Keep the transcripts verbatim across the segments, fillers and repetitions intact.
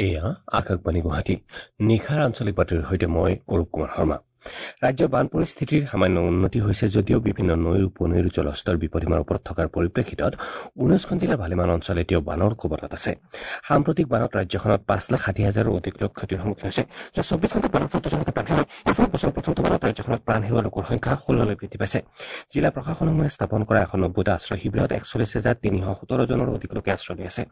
এয়া আকাশবাণী গুৱাহাটী। নিশাৰ আঞ্চলিক বাতৰিৰ সৈতে মই অৰূপ কুমাৰ শৰ্মা। ৰাজ্যৰ বান পৰিস্থিতিৰ সামান্য উন্নতি হৈছে যদিও বিভিন্ন নৈৰ উপনৈৰ জলস্তৰ বিপদসীমাৰ ওপৰত থকাৰ পৰিপ্ৰেক্ষিতত ঊনৈছখন জিলাৰ ভালেমান অঞ্চল এতিয়াও বানৰ কবলত আছে। সাম্প্ৰতিক বানত ৰাজ্যখনত পাঁচ লাখ ষাঠি হাজাৰৰো অধিক লোক ক্ষতিৰ সন্মুখীন হৈছে। যোৱা চৌব্বিছ ঘণ্টাত বানৰ ফলত দুজন লোকে প্ৰাণ হেৰুৱায়। ইয়াৰ ফলত বছৰৰ প্ৰথমটো বানত ৰাজ্যখনত প্ৰাণ হেৰুওৱা লোকৰ সংখ্যা ষোল্ললৈ বৃদ্ধি পাইছে। জিলা প্ৰশাসনসমূহে স্থাপন কৰা এশ নব্বৈটা আশ্ৰয় শিবিৰত একচল্লিছ হাজাৰ তিনিশ সোতৰজনৰো অধিক লোকে আশ্ৰয় লৈ আছে।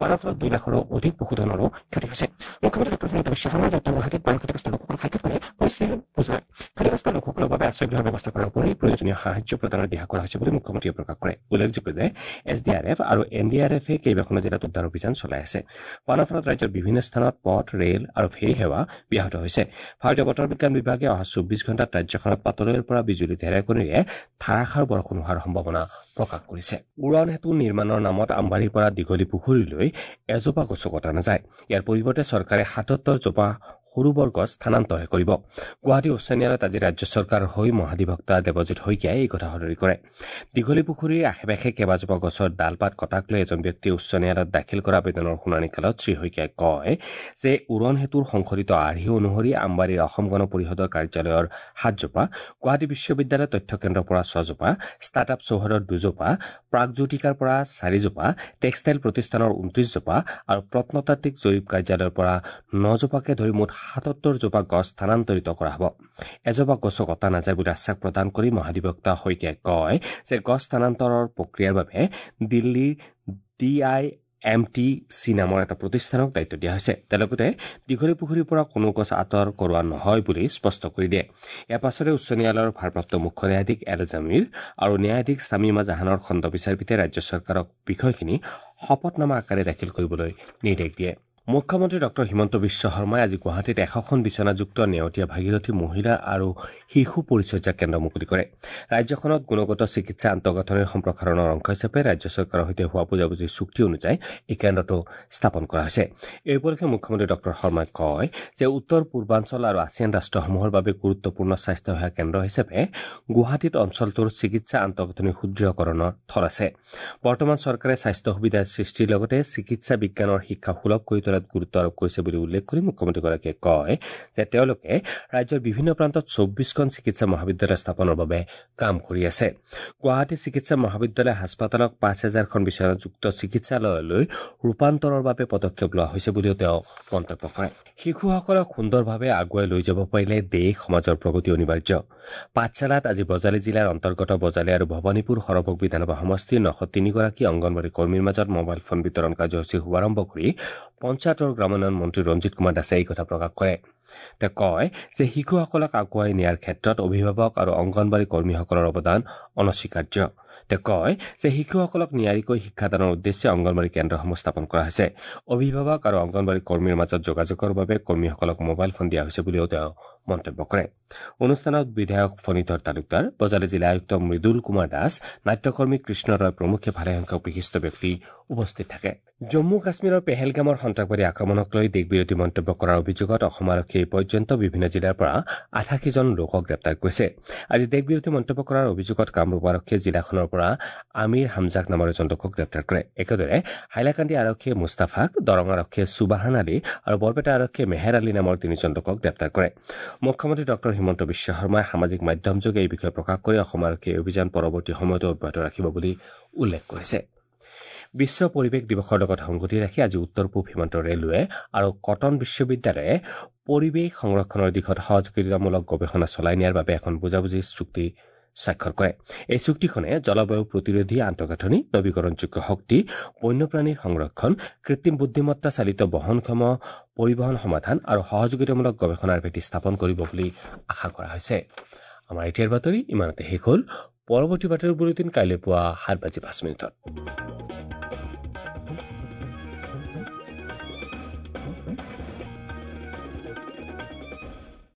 বানৰ ফলত দুই লাখৰো অধিক পশুধনৰো ক্ষতি হৈছে। মুখ্যমন্ত্ৰী ডক্টৰ হিমন্ত বিশ্ব শৰ্মাই উত্তৰ গুৱাহাটীত বান ক্ষতিগ্ৰস্ত লোকসকলক সাক্ষাৎ কৰি পৰিস্থিতিৰ বুজ লয়। ক্ষতিগ্ৰস্ত লোকসকলৰ বাবে আশ্ৰয় গৃহৰ ব্যৱস্থা কৰাৰ উপৰি প্ৰয়োজনীয় সাহায্য প্ৰদানৰ দিহা কৰা হৈছে বুলি মুখ্যমন্ত্ৰীয়ে প্ৰকাশ কৰে। উল্লেখযোগ্য যে এছ ডি আৰ এফ আৰু এন ডি আৰ এফে কেইবাখনো জিলাত উদ্ধাৰ অভিযান চলাই আছে। বানৰ ফলত ৰাজ্যৰ বিভিন্ন স্থানত পথ, ৰেল আৰু ফেৰী সেৱা ব্যাহত হৈছে। ভাৰতীয় বতৰ বিজ্ঞান বিভাগে অহা চৌব্বিছ ঘণ্টাত ৰাজ্যখনত পাতলৈৰ পৰা বিজুলী ঢেৰেকনিৰে ধাৰাসাৰ বৰষুণ হোৱাৰ সম্ভাৱনা প্ৰকাশ কৰিছে। উৰণ সেতু নিৰ্মাণৰ নামত আমবাৰীৰ পৰা দীঘলী পুখুৰীলৈ এজোপা গছো কটা নাযায়। ইয়াৰ পৰিৱৰ্তে চৰকাৰে সাতসত্তৰ জোপা সৰু বৰ গছ স্থানান্তৰহে কৰিব। গুৱাহাটী উচ্চ ন্যায়ালয়ত আজি ৰাজ্য চৰকাৰৰ হৈ মহাধিবক্তা দেৱজিৎ শইকীয়াই এই কথা সদৰি কৰে। দীঘলী পুখুৰীৰ আশে পাশে কেইবাজোপা গছৰ ডাল পাত কটাক লৈ এজন ব্যক্তিয়ে উচ্চ ন্যায়ালয়ত দাখিল কৰা আবেদনৰ শুনানি কালত শ্ৰীশইকীয়াই কয় যে উৰণ সেতুৰ সংশোধিত আৰ্হি অনুসৰি আমবাৰীৰ অসম গণ পৰিষদৰ কাৰ্যালয়ৰ সাতজোপা, গুৱাহাটী বিশ্ববিদ্যালয়ৰ তথ্য কেন্দ্ৰৰ পৰা ছজোপা, ষ্টাৰ্ট আপ চৌহদৰ দুজোপা, প্ৰাগজ্যোতিকাৰ পৰা চাৰিজোপা, টেক্সটাইল প্ৰতিষ্ঠানৰ ঊনত্ৰিছজোপা আৰু প্ৰত্নতাত্ত্বিক জৰীপ কাৰ্যালয়ৰ পৰা নজোপাকে ধৰি মুঠ সাতসত্তৰ জোপা গছ স্থানান্তৰিত কৰা হ'ব। এজোপা গছো কটা নাযায় বুলি আশ্বাস প্ৰদান কৰি মহাধিবক্তা শইকীয়াই কয় যে গছ স্থানান্তৰৰ প্ৰক্ৰিয়াৰ বাবে দিল্লীৰ D I M T C নামৰ এটা প্ৰতিষ্ঠানক দায়িত্ব দিয়া হৈছে। তেওঁ লগতে দীঘলী পুখুৰীৰ পৰা কোনো গছ আঁতৰ কৰোৱা নহয় বুলি স্পষ্ট কৰি দিয়ে। ইয়াৰ পাছতে উচ্চ ন্যায়ালয়ৰ ভাৰপ্ৰাপ্ত মুখ্য ন্যায়াধীশ এল জামিৰ আৰু ন্যায়াধীশ ছামিমা জাহানৰ খণ্ড বিচাৰপীঠে ৰাজ্য চৰকাৰক বিষয়খিনি শপতনামা আকাৰে দাখিল কৰিবলৈ নিৰ্দেশ দিয়ে। মুখ্যমন্ত্ৰী ডক্টৰ হিমন্ত বিশ্ব শৰ্মাই আজি গুৱাহাটীত এশখন বিচনাযুক্ত নেওতীয়া ভাগীৰথী মহিলা আৰু শিশু পৰিচৰ্যা কেন্দ্ৰ মুকলি কৰে। ৰাজ্যখনত গুণগত চিকিৎসা আন্তঃগাঁথনিৰ সম্প্ৰসাৰণৰ অংশ হিচাপে ৰাজ্য চৰকাৰৰ সৈতে হোৱা বুজাবুজিৰ চুক্তি অনুযায়ী এই কেন্দ্ৰটো স্থাপন কৰা হৈছে। এই উপলক্ষে মুখ্যমন্ত্ৰী ডক্টৰ শৰ্মাই কয় যে উত্তৰ পূৰ্বাঞ্চল আৰু আছিয়ান ৰাষ্ট্ৰসমূহৰ বাবে গুৰুত্বপূৰ্ণ স্বাস্থ্যসেৱা কেন্দ্ৰ হিচাপে গুৱাহাটীত অঞ্চলটোৰ চিকিৎসা আন্তঃগাঁথনি সুদৃঢ়কৰণৰ থল আছে। বৰ্তমান চৰকাৰে স্বাস্থ্য সুবিধা সৃষ্টিৰ লগতে চিকিৎসা বিজ্ঞানৰ শিক্ষা সুলভ কৰি তোলাত গুৰুত্ব আৰোপ কৰিছে বুলি উল্লেখ কৰি মুখ্যমন্ত্ৰীগৰাকীয়ে কয় যে তেওঁলোকে ৰাজ্যৰ বিভিন্ন প্ৰান্তত চৌব্বিছখন চিকিৎসা মহাবিদ্যালয় স্থাপনৰ বাবে কাম কৰি আছে। গুৱাহাটী চিকিৎসা মহাবিদ্যালয় হাস্পতালক পাঁচ হাজাৰখন বিচনাযুক্ত চিকিৎসালয়লৈ ৰূপান্তৰৰ বাবে পদক্ষেপ লোৱা হৈছে বুলিও তেওঁ মন্তব্য কৰে। শিশুসকলক সুন্দৰভাৱে আগুৱাই লৈ যাব পাৰিলে দেশ সমাজৰ প্ৰগতি অনিবাৰ্য। পাঠশালাত আজি বজালী জিলাৰ অন্তৰ্গত বজালী আৰু ভৱানীপুৰ সৰভোগ বিধানসভা সমষ্টিৰ নশ তিনিগৰাকী অংগনবাড়ী কৰ্মীৰ মাজত মোবাইল ফোন বিতৰণ কাৰ্যসূচীৰ শুভাৰম্ভ কৰি পঞ্চায়ত আৰু গ্ৰামোন্নয়ন মন্ত্ৰী ৰঞ্জিত কুমাৰ দাসে এই কথা প্ৰকাশ কৰে। তেওঁ কয় যে শিশুসকলক আগুৱাই নিয়াৰ ক্ষেত্ৰত অভিভাৱক আৰু অংগনবাড়ী কৰ্মীসকলৰ অৱদান অনস্বীকাৰ্য। তেওঁ কয় যে শিশুসকলক নিয়াৰিকৈ শিক্ষাদানৰ উদ্দেশ্যে অংগনবাড়ী কেন্দ্ৰসমূহ স্থাপন কৰা হৈছে। অভিভাৱক আৰু অংগনবাড়ী কৰ্মীৰ মাজত যোগাযোগৰ বাবে কৰ্মীসকলক মোবাইল ফোন দিয়া হৈছে বুলিও তেওঁ মন্তব্য কৰে। অনুষ্ঠানত বিধায়ক ফণীধৰ তালুকদাৰ, বজালী জিলা আয়ুক্ত মৃদুল কুমাৰ দাস, নাট্যকৰ্মী কৃষ্ণ ৰয় প্ৰমুখ্যে ভালেসংখ্যক বিশিষ্ট ব্যক্তি উপস্থিত থাকে। জম্মু কাশ্মীৰৰ পেহেলগামৰ সন্ত্ৰাসবাদী আক্ৰমণক লৈ দেশবিৰোধী মন্তব্য কৰাৰ অভিযোগত অসম আৰক্ষীয়ে এই পৰ্যন্ত বিভিন্ন জিলাৰ পৰা আঠাশীজন লোকক গ্ৰেপ্তাৰ কৰিছে। আজি দেশবিৰোধী মন্তব্য কৰাৰ অভিযোগত কামৰূপ আৰক্ষীয়ে জিলাখনৰ পৰা আমিৰ হামজাক নামৰ এজন লোকক গ্ৰেপ্তাৰ কৰে। একেদৰে হাইলাকান্দি আৰক্ষীয়ে মুস্তাফাক, দৰং আৰক্ষীয়ে সুবাহান আলী আৰু বৰপেটা আৰক্ষীয়ে মেহেৰ আলী নামৰ তিনিজন লোকক গ্ৰেপ্তাৰ কৰে। মুখ্যমন্ত্ৰী ডক্টৰ হিমন্ত বিশ্ব শৰ্মাই সামাজিক মাধ্যমযোগে এই বিষয়ে প্ৰকাশ কৰি অসম আৰক্ষীয়ে এই অভিযান পৰৱৰ্তী সময়তো অব্যাহত ৰাখিব বুলি উল্লেখ কৰিছে। বিশ্ব পৰিৱেশ দিৱসৰ লগত সংগতি ৰাখি আজি উত্তৰ পূব সীমান্ত ৰেলৱে আৰু কটন বিশ্ববিদ্যালয়ে পৰিৱেশ সংৰক্ষণৰ দিশত সহযোগিতামূলক গৱেষণা চলাই নিয়াৰ বাবে এখন বুজাবুজিৰ চুক্তি স্বাক্ষৰ কৰে। এই চুক্তিখনে জলবায়ু প্ৰতিৰোধী আন্তঃগাঁথনি, নৱীকৰণযোগ্য শক্তি, বন্যপ্ৰাণীৰ সংৰক্ষণ, কৃত্ৰিম বুদ্ধিমত্তা চালিত বহনক্ষম পৰিবহণ সমাধান আৰু সহযোগিতামূলক গৱেষণাৰ ভেটি স্থাপন কৰিব বুলি আশা কৰা হৈছে। আমাৰ এতিয়াৰ বাতৰি ইমানতে শেষ হ'ল। পৰৱৰ্তী বাতৰি বুলেটিন কাইলৈ পুৱা সাত বাজি পাঁচ মিনিটত।